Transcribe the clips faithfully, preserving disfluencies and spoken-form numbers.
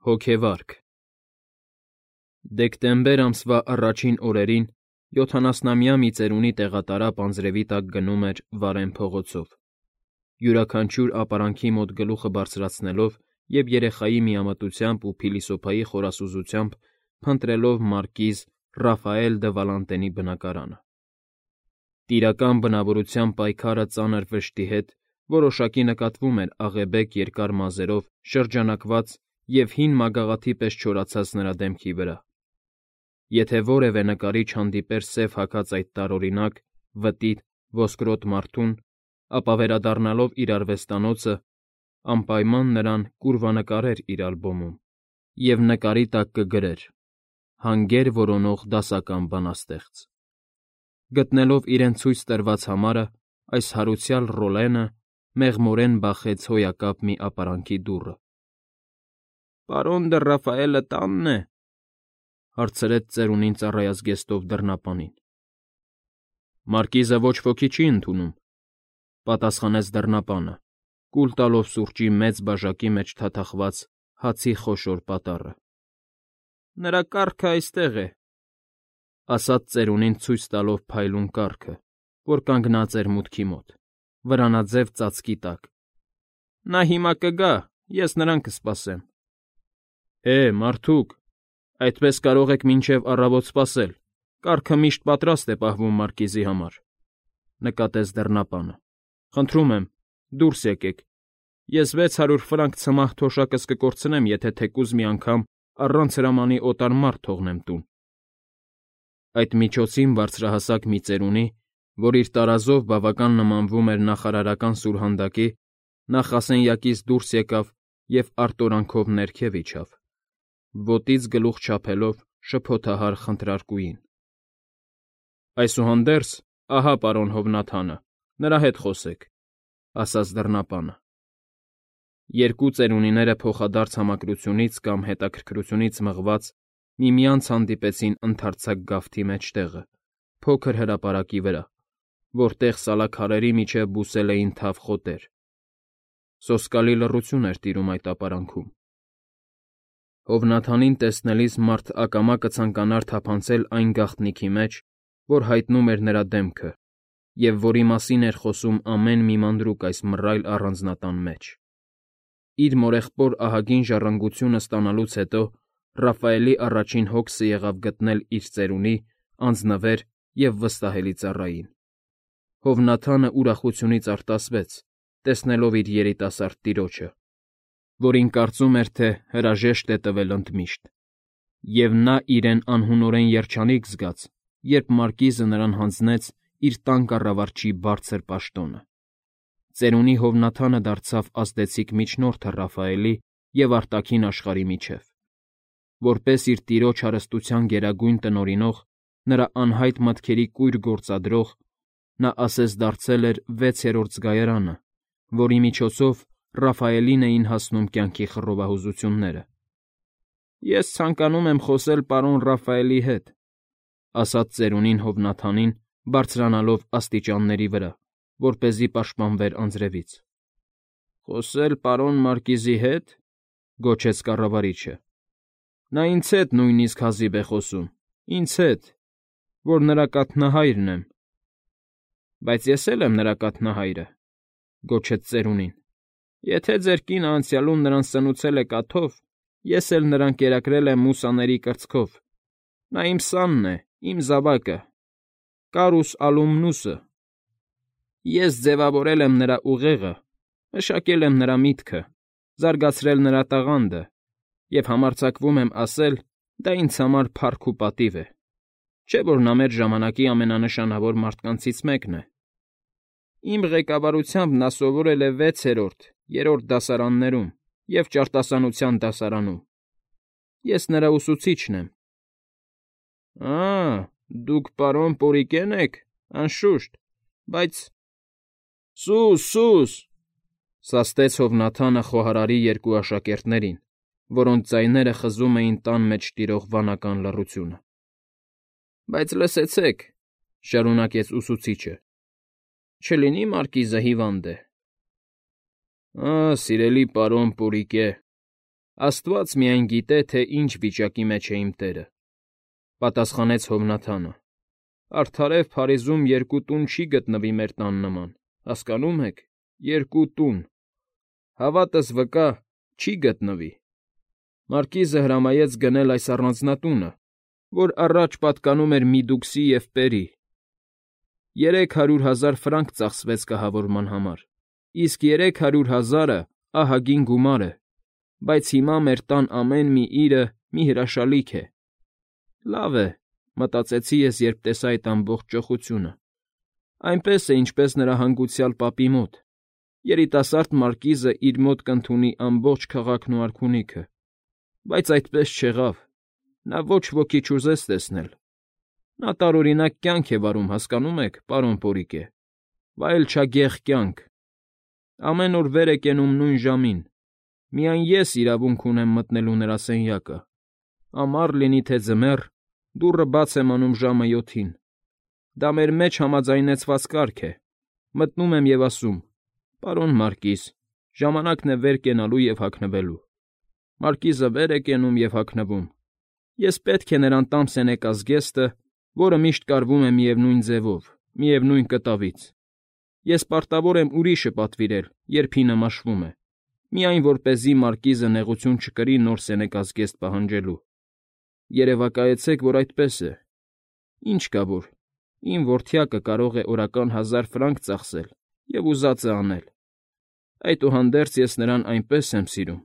Հոգեվարք Դեկտեմբեր ամսվա առաջին օրերին յոթանասնամյա մի ծերունի տեղատարապ անձրևի տակ գնում էր Վարեն փողոցով, յուրաքանչյուր ապարանքի մոտ գլուխը բարձրացնելով և երեխայի միամտությամբ ու փիլիսոփայի խորասուզությամբ փնտրելով մարկիզ Ռաֆայել դը Վալանտենի բնակարանը։ Տիրական բնավորության պայքարը ծանր վշտի հետ որոշակի նկատվում էր աղեբեկ երկար մազերով շրջանակված և հին մագաղաթի պես չորացած նրա դեմքի վրա։ Եթե որևէ նկարիչ հանդիպեր սև հագած այդ տարօրինակ, վտիտ, ոսկրոտ մարդուն, ապա վերադառնալով իր արվեստանոցը, անպայման նրան կուրվանկարեր իր ալբոմում և նկարի տակ կգրեր. «Հանգեր որոնող դասական բանաստեղծ»։ Գտնելով իրեն ցույց տրված համարը, այս հարուցյալ Ռոլենը մեղմորեն բախեց հոյակապ մի ապարանքի դուռը։ ֊ Պարոն դը Ռաֆայելը տա՞նն է,֊ հարցրեց ծերունին ծառայազգեստով դռնապանին։ ֊ Մարկիզը ոչ ոքի չի ընդունում,֊ պատասխանեց դռնապանը, կուլ տալով սուրճի մեծ բաժակի մեջ թաթախված հացի խոշոր պատառը։ ֊ Նրա կառքը այստեղ է,֊ ասաց ծերունին ցույց տալով փայլուն կառքը, որ կանգնած էր մուտքի մոտ, վրանաձև ծածկի տակ։ ֊ Նա հիմա կգա, ես նրան կսպասեմ։ ֊ Է, մարդուկ, այդպես կարող եք մինչև առավոտ սպասել, կառքը միշտ պատրաստ է պահվում մարկիզի համար,֊ նկատեց դռնապանը։ ֊ Խնդրում եմ, դուրս եկեք, ես վեց հարյուր ֆրանկ ցմահ թոշակս կկորցնեմ, եթե թեկուզ մի անգամ առանց հրամանի օտար մարդ թողնեմ տուն։ Այդ միջոցին բարձրահասակ մի ծերունի, որ իր տարազով բավական նմանվում էր նախարարական սուրհանդակի, նախասենյակից դուրս եկավ և արտորանքով ներքև իջավ, ոտից գլուխ չափելով շփոթահար խնդրարկուին։ ֊ Այսուհանդերձ, ահա պարոն Հովնաթանը, նրա հետ խոսեք,֊ ասաց դռնապանը։ Երկու ծերունիները փոխադարձ համակրությունից կամ հետաքրքրությունից մղված միմյանց հանդիպեցին ընդարձակ գավթի մեջտեղը, փոքր հրապարակի վրա, որտեղ սալաքարերի միջև բուսել էին թավ խոտեր։ Սոսկալի լռություն էր տիրում այդ ապարանքում։ Հովնաթանին տեսնելիս մարդ ակամա կցանկանար թափանցել այն գաղտնիքի մեջ, որ հայտնում էր նրա դեմքը և որի մասին էր խոսում ամեն մի մանրուք այս մռայլ առանձնատան մեջ։ Իր մորեղբոր ահագին ժառանգությունը ստանալուց հետո Ռաֆայելի առաջին հոգսը եղավ գտնել իր ծերունի, անձնվեր և վստահելի ծառային։ Հովնաթանը ուրախությունից արտասվեց, տեսնելով իր երիտասարդ տիրոջը, որին կարծում էր, թե հրաժեշտ է տվել ընդմիշտ, և նա իրեն անհունորեն երջանիկ զգաց, երբ մարկիզը նրան հանձնեց իր տան կառավարչի բարձր պաշտոնը։ Ծերունի Հովնաթանը դարձավ ազդեցիկ միջնորդը Ռաֆայելի և արտաքին աշխարհի միջև։ Որպես իր տիրոջ հարստության գերագույն տնօրինող, նրա անհայտ մտքերի կույր գործադրող, նա ասես դարձել էր վեցերորդ զգայարանը, որի միջոցով Ռաֆայելին էին հասնում կյանքի խռովահուզությունները։ ֊ Ես ցանկանում եմ խոսել պարոն Ռաֆայելի հետ,֊ ասաց ծերունին Հովնաթանին, բարձրանալով աստիճանների վրա, որպեսզի պաշտպանվեր անձրևից։ ֊ Խոսել պարոն Մարկիզի հետ,֊ գոչեց կառավարիչը։ ֊ Նա ինձ հետ նույնիսկ հազիվ է խոսում, ինձ հետ, որ նրա կաթնահայրն եմ։ ֊ Բայց ես էլ եմ նրա կաթնահայրը,֊ գոչեց ծերունին։ ֊ Եթե ձեր կինը անցյալում նրան սնուցել է կաթով, ես էլ նրան կերակրել եմ մուսաների կրծքով։ Նա իմ սանն է, իմ զավակը, կարուս ալումնուսը։ Ես ձևավորել եմ նրա ուղեղը, մշակել եմ նրա միտքը, զարգացրել նրա տաղանդը և համարձակվում եմ ասել, դա ինձ համար փառք ու պատիվ է, չէ՞ որ նա մեր ժամանակի ամենանշանավոր մարդկանցից մեկն է։ Իմ ղեկավարությամբ նա սովորել է վեցերորդ, երրորդ դասարաններում և ճարտասանության դասարանում։ Ես նրա ուսուցիչն եմ։ ֊ Ա՜, դուք պարոն Պորիկեն եք, անշուշտ, բայց… ֊ Սուս, սուս,֊ սաստեց Հովնաթանը խոհարարի երկու աշակերտներին, որոնց ձայները խզում էին տան մեջ տիրող վանական լռությունը։ ֊ Բայց լսեցեք,֊ շարունակեց ուսուցիչը,֊ չլինի՞ մարկիզը հիվանդ է։ ֊ Ա՜, սիրելի պարոն Պորիկե,֊ Աստված միայն գիտե, թե ինչ վիճակի մեջ է իմ տերը,֊ պատասխանեց Հովնաթանը։ Արդարև Փարիզում երկու տուն չի գտնվի մեր տան նման, հասկանո՞ւմ եք, երկու տուն… Հավատս վկա, չի գտնվի… Մարկիզը հրամայեց գնել այս առանձնատունը, որ առաջ պատկանում էր Միդուքսի և Պերի. երեք հարյուր հազար ֆրանկ ծախսվեց կահավորման համար, իսկ երեք հարյուր հազարը ահագին գումար է, բայց հիմա մեր տան ամեն մի իրը մի հրաշալիք է… Լավ է, մտածեցի ես, երբ տեսա այդ ամբողջ ճոխությունը, այնպես է, ինչպես նրա հանգուցյալ պապի մոտ, երիտասարդ մարկիզը իր մոտ կընդունի ամբողջ քաղաքն ու արքունիքը, բայց այդպես չեղավ, նա ոչ ոքի չուզեց տեսնել… Նա տարօրինակ կյանք է վարում, հասկանո՞մ եք, պարոն Պորիկե, վայելչագեղ կյանք… Ամեն օր վեր է կենում նույն ժամին, միայն ես իրավունք ունեմ մտնելու նրա սենյակը, ամառ լինի թե ձմեռ, դուռը բաց եմ անում ժամը յոթին, դա մեր մեջ համաձայնեցված կարգ է, մտնում եմ և ասում. «Պարոն մարկիզ, ժամանակն է վեր կենալու և հագնվելու»։ Մարկիզը վեր է կենում և հագնվում, ես պետք է նրան տամ սենեկա զգեստը, որը միշտ կարվում է միևնույն ձևով, միևնույն կտավից… Ես պարտավոր եմ ուրիշը պատվիրել, երբ հինը մաշվում է, միայն որպեսզի մարկիզը նեղություն չկրի նոր սենեկազգեստ պահանջելու… Երևակայեցեք, որ այդպես է… Ինչ կա որ, իմ որդյակը կարող է օրական հազար ֆրանկ ծախսել և ուզածը անել… Այդուհանդերձ ես նրան այնպես եմ սիրում,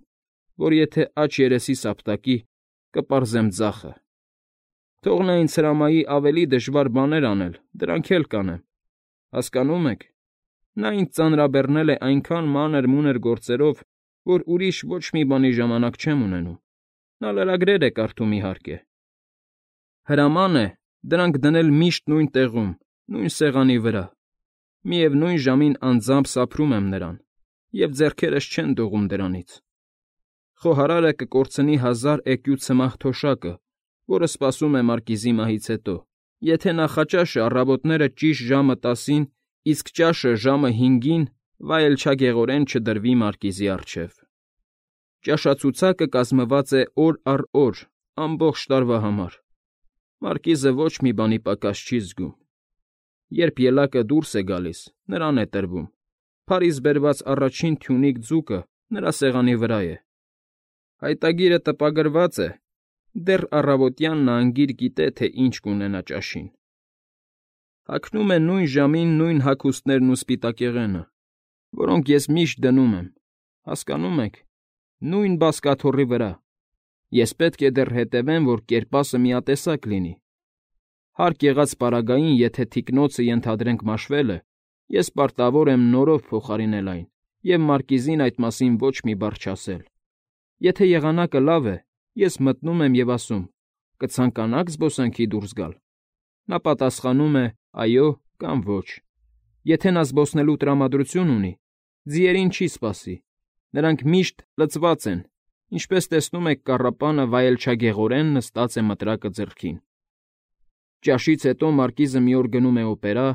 որ եթե աջ երեսիս ապտակի, կպարզեմ ձախը… Թող նա ինձ հրամայի ավելի դժվար բաներ անել, դրանք էլ կանեմ… Հասկանո՞ւմ եք, նա ինձ ծանրաբեռնել է այնքան մանր֊մունր գործերով, որ ուրիշ ոչ մի բանի ժամանակ չեմ ունենում… Նա լրագրեր է կարդում, իհարկե… Հրաման է դրանք դնել միշտ նույն տեղում, նույն սեղանի վրա… Միևնույն ժամին անձամբ սափրում եմ նրան, և ձեռքերս չեն դողում դրանից… Խոհարարը կկորցնի հազար էկյու ցմահ թոշակը, որը սպասում է մարկիզի մահից հետո, եթե նախաճաշը առավոտները ճիշտ ժամը տասին, իսկ ճաշը ժամը հինգին վայելչագեղորեն չդրվի մարկիզի առջև… Ճաշացուցակը կազմված է օր առ օր, ամբողջ տարվա համար… Մարկիզը ոչ մի բանի պակաս չի զգում… Երբ ելակը դուրս է գալիս, նրան է տրվում, Փարիզ բերված առաջին թյունիկ ձուկը նրա սեղանի վրա է… Հայտագիրը տպագրված է, դեռ առավոտյան նա անգիր գիտե, թե ինչ կունենա ճաշին… Հագնում է նույն ժամին նույն հագուստներն ու սպիտակեղենը, որոնք ես միշտ դնում եմ, հասկանո՞մ եք, նույն բազկաթոռի վրա… Ես պետք է դեռ հետևեմ, որ կերպասը միատեսակ լինի… Հարկ եղած պարագային, եթե թիկնոցը ենթադրենք մաշվել է, ես պարտավոր եմ նորով փոխարինել այն և մարկիզին այդ մասին ոչ մի բառ չասել… Եթե եղանակը լավ է, ես մտնում եմ և ասում. «Կցանկանա՞ք զբոսանքի դուրս գալ»… Նա պատասխանում է. «Այո» կամ «Ոչ»… Եթե նա զբոսնելու տրամադրություն ունի, ձիերին չի սպասի, նրանք միշտ լցված են, ինչպես տեսնում եք կառապանը վայելչագեղորեն նստած է մտրակը ձեռքին… Ճաշից հետո մարկիզը մի օր գնում է օպերա,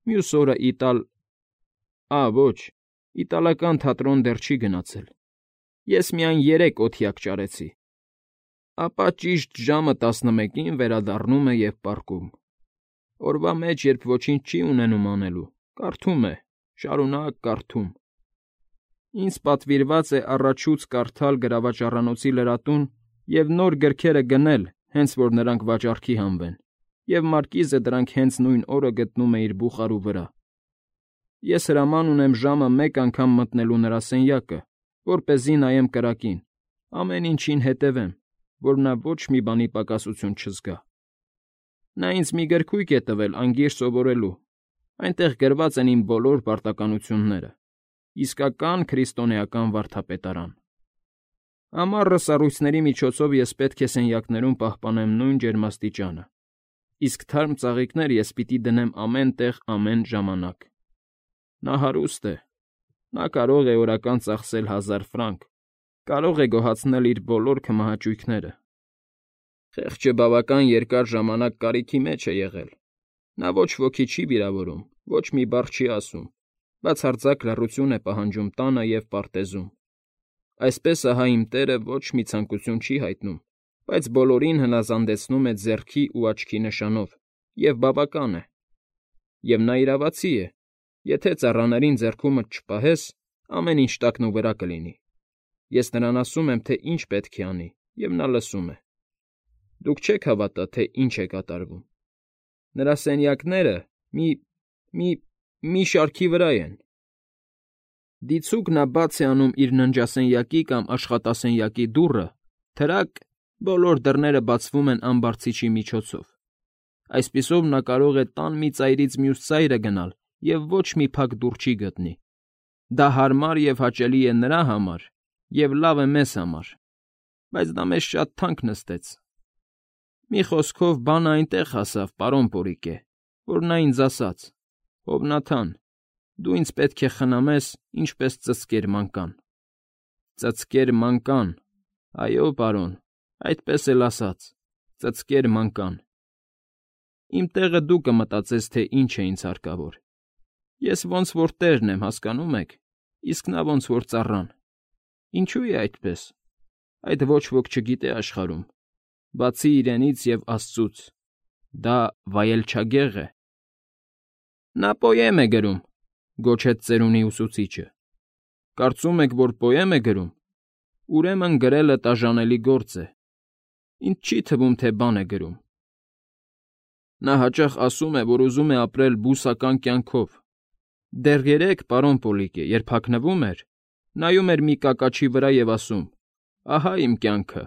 մյուս օրը Իտալ… Ա՜, ոչ, իտալական թատրոն դեռ չի գնացել… Ես միայն երեք օթյակ ճարեցի… Ապա ճիշտ ժամը տասնմեկին վերադառնում է և պառկում… Օրվա մեջ, երբ ոչինչ չի ունենում անելու, կարդում է, շարունակ կարդում… Ինձ պատվիրված է առաջուց կարդալ գրավաճառանոցի լրատուն և նոր գրքերը գնել, հենց որ նրանք վաճառքի հանվեն, և մարկիզը դրանք հենց նույն օրը գտնում է իր բուխարու վրա… Ես հրաման ունեմ ժամը մեկ անգամ մտնելու նրա սենյակը, որպեսզի նայեմ կրակին, ամեն ինչին հետևեմ, որ նա ոչ մի բանի պակասություն չզգա… Նա ինձ մի գրքույկ է տվել անգիր սովորելու, այնտեղ գրված են իմ բոլոր պարտականությունները… Իսկական քրիստոնեական վարդապետարան… Ամառը սառույցների միջոցով ես պետք է սենյակներում պահպանեմ նույն ջերմաստիճանը, իսկ թարմ ծաղիկներ ես պիտի դնեմ ամեն տեղ ամեն ժամանակ… Նա հարուստ է, նա կարող է օրական ծախսել հազար ֆրանկ, կարող է գոհացնել իր բոլոր քմահաճույքները… Խեղճը բավական երկար ժամանակ կարիքի մեջ է եղել, նա ոչ ոքի չի վիրավորում, ոչ մի բառ չի ասում, բացարձակ լռություն է պահանջում տանը և պարտեզում… Այսպես ահա իմ տերը ոչ մի ցանկություն չի հայտնում, բայց բոլորին հնազանդեցնում է ձեռքի ու աչքի նշանով, և բավական է։ Եվ նա իրավացի է. եթե ծառաներին ձեռքումդ չպահես, ամեն ինչ տակնուվրա կլինի։ Ես նրան ասում եմ, թե ինչ պետք է անի, և նա լսում է։ Դուք չեք հավատա, թե ինչ է կատարվում։ Նրա սենյակները մի… մի… մի շարքի վրա են։ Դիցուք նա բաց է անում իր ննջասենյակի կամ աշխատասենյակի դուռը, թրակ, բոլոր դռները բացվում են ամբարձիչի միջոցով։ Այսպիսով նա կարող է տան մի ծայրից մյուս ծայրը գնալ և ոչ մի փակ դուռ չի գտնի։ Դա հարմար և հաճելի է նրա համար և լավ է մեզ համար, բայց դա մեզ շատ թանկ նստեց։ Մի խոսքով, բանը այնտեղ հասավ, պարոն Պորիկե, որ նա ինձ ասաց. «Հովնաթան, դու ինձ պետք է խնամես, ինչպես ծծկեր մանկան»։ Ծծկեր մանկան, այո, պարոն, այդպես էլ ասաց. ծծկեր մանկան։ Իմ տեղը դու կմտածես, թե ինչ է ինձ հարկավոր։ Ես ոնց որ տերն եմ, հասկանո՞ւմ եք, իսկ նա ոնց որ ծառան։ Ինչո՞ւ է այդպես։ Այդ ոչ ոք չգիտե աշխարհում, բացի իրենից և Աստծուց։ Դա վայելչագեղ է։ Նա պոեմ է գրում, գոչեց ծերունի ուսուցիչը։ Կարծում եք, որ պոեմ է գրում։ Ուրեմն գրելը տաժանելի գործ է։ Ինձ չի թվում, թե բան է գրում։ Նա հաճախ ասում է, որ ուզում է ապրել բուսական կյանքով։ Դեռ երեկ, պարոն Պոլիկե, երբ հագնվում էր, նայում էր մի կակաչի վրա և ասում. «Ահա իմ կյանքը,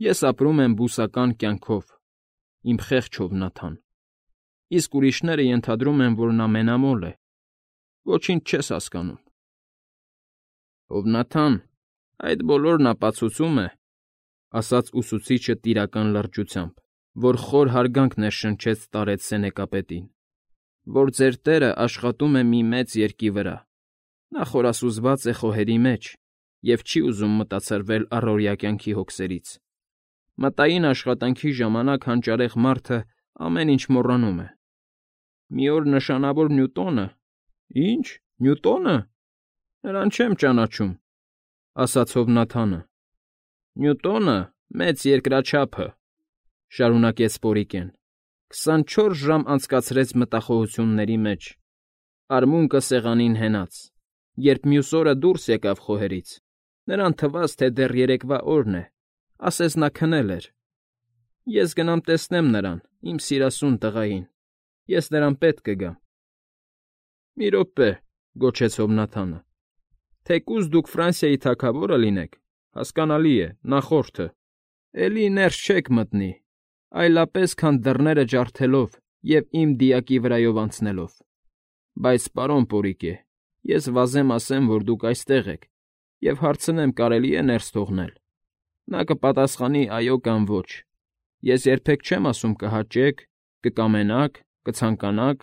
ես ապրում եմ բուսական կյանքով, իմ խեղճ Հովնաթան»։ Իսկ ուրիշները ենթադրում են, որ նա մենամոլ է։ Ոչինչ չես հասկանում։ Հովնաթան, այդ բոլորն ապացուցում է, ասաց ուսուցիչը տիրական լրջությամբ, որ խոր հարգանք ներշնչեց տարեց սենեկապետին, որ ձեր տերը աշխատում է մի մեծ երկի վրա։ Նա խորասուզված է խոհերի մեջ և չի ուզում մտացրվել առօրյա կյանքի հոգսերից։ Մտային աշխատանքի ժամանակ հանճարեղ մարդը ամեն ինչ մոռանում է։ Մի օր նշանավոր Նյուտոնը… Ի՞նչ, Նյուտոնը… Նրան չեմ ճանաչում, ասաց Հովնաթանը։ Նյուտոնը, մեծ երկրաչափը, շարունակեց Պորիկեն, քսանչորս ժամ անցկացրեց մտախոհությունների մեջ, արմունկը սեղանին հենած, երբ մյուս օրը դուրս եկավ խոհերից, նրան թվաց, թե դեռ երեկվա օրն է, ասես նա քնել էր։ Ես գնամ տեսնեմ նրան, իմ սիրասուն տղային, ես նրան պետք կգամ։ Մի րոպե, գոչեց Հովնաթանը, թեկուզ դուք Ֆրանսիայի թագավորը լինեք, հասկանալի է, նախորդը, էլի ներս չեք մտնի, այլապես, քան դռները ջարդելով և իմ դիակի վրայով անցնելով։ Բայց, պարոն Պորիկե, ես վազեմ ասեմ, որ դուք այստեղ եք, և հարցնեմ, կարելի է ներս թողնել։ Նա կպատասխանի այո կամ ոչ։ Ես երբեք չեմ ասում կհաճեք, կկամենաք, կցանկանաք,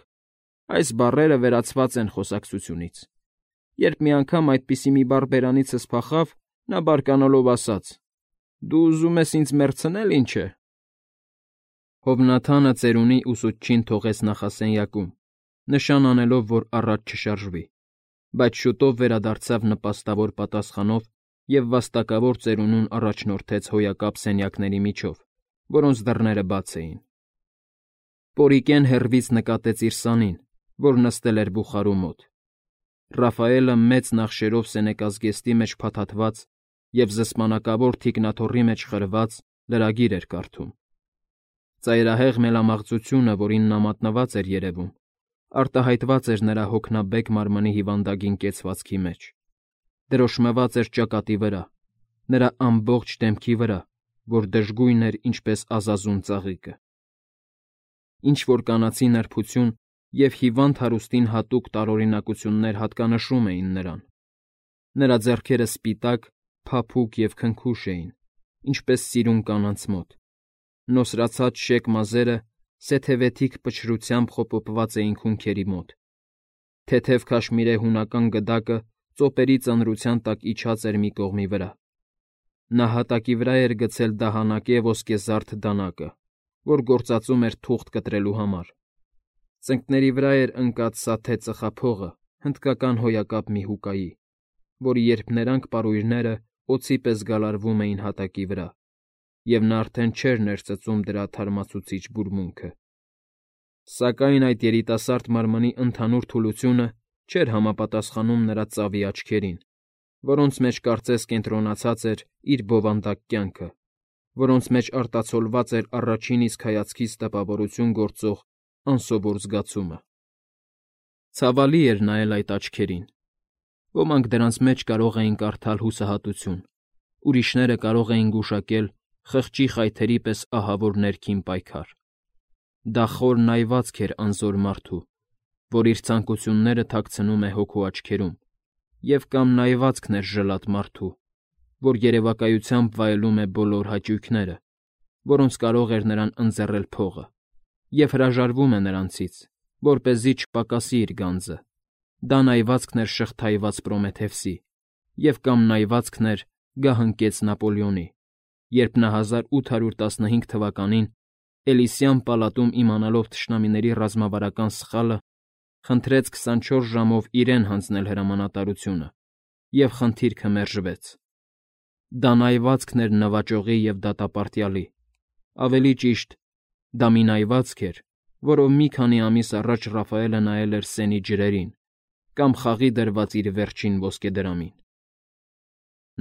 այս բառերը վերացված են խոսակցությունից։ Երբ մի անգամ այդպիսի մի բառ բերանիցս փախավ, նա բարկանալով ասաց. «Դու ուզում ես ինձ մեռցնել, ինչ է»։ Հովնաթանը ծերունի ուսուցչին թողեց նախասենյակում, նշան անելով, որ առաջ չշարժվի, բայց շուտով վերադարձավ նպաստավոր պատասխանով և վաստակավոր ծերունուն առաջնորդեց հոյակապ սենյակների միջով, որոնց դռները բաց էին։ Պորիկեն հեռվից նկատեց իր սանին, որ նստել էր բուխարու մոտ։ Ռաֆայելը մեծ նախշերով սենեկազգեստի մեջ փաթաթված և զսպանակավոր թիկնաթոռի մեջ խրված լրագիր էր կարդում։ Ծայրահեղ մելամաղձությունը, որին նա մատնված էր երևում, արտահայտված էր նրա հոգնաբեկ մարմնի հիվանդագին կեցվածքի մեջ, դրոշմված էր ճակատի վրա, նրա ամբողջ դեմքի վրա, որ դժգույն էր ինչպես ազազուն ծաղիկը։ Ինչ֊որ կանացի նրբություն և հիվանդ հարուստին հատուկ տարօրինակություններ հատկանշում էին նրան։ Նրա ձեռքերը սպիտակ, փափուկ և քնքուշ էին, ինչպես սիրուն կանանց մոտ։ Նոսրացած շեկ մազերը սեթևեթիկ փչրությամբ խոպոպված էին քունքերի մոտ։ Թեթև քաշմիրե հունական գդակը ծոպերի ծանրության տակ իջած էր մի կողմի վրա։ Նա հատակի վրա էր գցել դահանակե ոսկեզարդ դանակը, որ գործածում էր թուղթ կտրելու համար։ Ծնկների վրա էր ընկած սաթե ծխափողը հնդկական հոյակապ մի հուկայի, որի երփներանգ պարույրները օձի պես գալարվում էին հատակի վրա, և նա արդեն չէր ներծծում դրա թարմացուցիչ բուրմունքը։ Սակայն այդ երիտասարդ մարմնի ընդհանուր թուլությունը չէր համապատասխանում նրա ծավի աչքերին, որոնց մեջ կարծես կենտրոնացած էր իր բովանդակ կյանքը, որոնց մեջ արտացոլված էր առաջին իսկ հայացքից տպավորություն գործող անսովոր զգացումը։ Ցավալի էր նայել այդ աչքերին։ Ոմանք դրանց մեջ կարող էին կարդալ հուսահատություն, ուրիշները կարող էին գուշակել խղճի խայթերի պես ահավոր ներքին պայքար։ Դա խոր նայվածք էր անզոր մարդու, որ իր ցանկությունները թաքցնում է հոգու աչքերում, և կամ նայվածքն էր ժլատ մարդու, որ երևակայությամբ վայելում է բոլոր հաճույքները, որոնց կարող էր նրան ընձեռել փողը, և հրաժարվում է նրանցից, որպեսզի չպակասի իր գանձը։ Դա նայվածքն էր շղթայված Պրոմեթևսի, և կամ նայվածքն էր գահընկեց Նապոլեոնի, երբ նա հազար ութ հարյուր տասնհինգ թվականին Էլիսյան պալատում իմանալով թշնամիների ռազմավարական սխալը, խնդրեց քսանչորս ժամով իրեն հանձնել հրամանատարությունը, և խնդիրքը մերժվեց։ Դա նայվածքն էր նվաճողի և դատապարտյալի, ավելի ճիշտ, դա մի նայվածք էր, որով մի քանի ամիս առաջ Ռաֆայելը նայել էր սենի ջրերին կամ խաղի դրված իր վերջին ոսկեդրամին։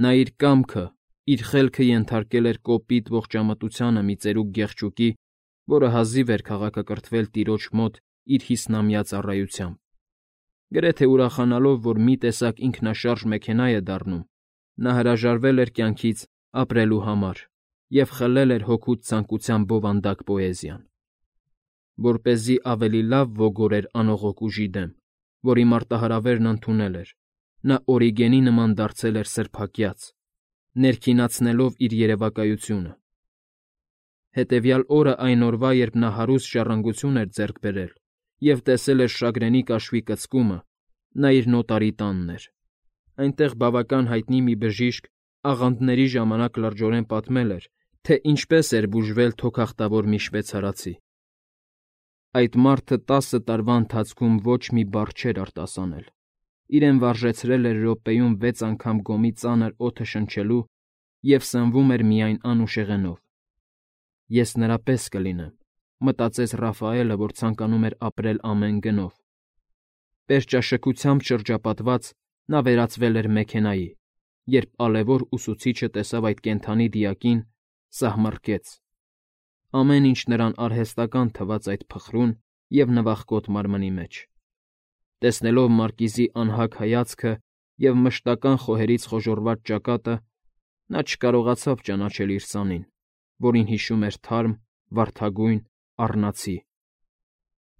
Նա իր կամքը, իր խելքը ենթարկել էր կոպիտ ողջամտությանը մի ծերուկ գեղչուկի, որը հազիվ էր քաղաքակրթվել տիրոջ մոտ իր հիսնամյա ծառայությամբ։ Գրեթե ուրախանալով, որ մի տեսակ ինքնաշարժ մեքենա է դառնում, նա հրաժարվել էր կյանքից ապրելու համար և խլել էր հոգուց ցանկության բովանդակ պոեզիան։ Որպեսզի ավելի լավ ոգորեր անողոք ուժի դեմ, որի մարտահրավերն ընդունել էր, նա Օրիգենի նման դարձել էր սրբակյաց, ներքինացնելով իր երևակայությունը։ Հետևյալ օրը այն օրվա, երբ նա հարուստ ժառանգություն էր ձեռք բերել և տեսել էր շագրենի կաշվի կծկումը, նա իր նոտարի տանն էր։ Այնտեղ բավական հայտնի մի բժիշկ աղանդների ժամանակ լրջորեն պատմել էր, թե ինչպես էր բուժվել թոքախտավոր մի շվեյցարացի։ Այդ մարդը տասը տարվա ընթացքում ոչ մի բառ չէր արտասանել, իրեն վարժեցրել էր րոպեում վեց անգամ գոմի ծանր օդը շնչելու և սնվում էր միայն անուշեղենով։ «Ես նրա պես կլինեմ», մտածեց Ռաֆայելը, որ ցանկանում էր ապրել ամեն գնով։ Պերճաշքությամբ շրջապատված՝ նա վերածվել էր մեքենայի, երբ ալևոր ուսուցիչը տեսավ այդ կենդանի դիակին, սահմռկեց։ Ամեն ինչ նրան արհեստական թվաց այդ փխրուն և նվախկոտ մարմնի մեջ։ Տեսնելով մարկիզի անհագ հայացքը և մշտական խոհերից խոժոռված ճակատը, նա չկարողացավ ճանաչել իր սանին, որին հիշում էր թարմ, վարդագույն, առնացի։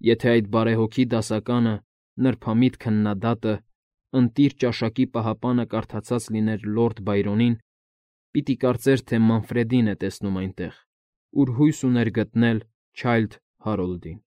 Եթե այդ բարեհոգի դասականը, նրբամիտ քննադատը, ընտիր ճաշակի պահապանը կարդացած լիներ լորդ Բայրոնին, պիտի կարծեր, թե Մանֆրեդին է տեսնում այնտեղ, ուր հույս ուներ գտնել Չայլդ Հարոլդին։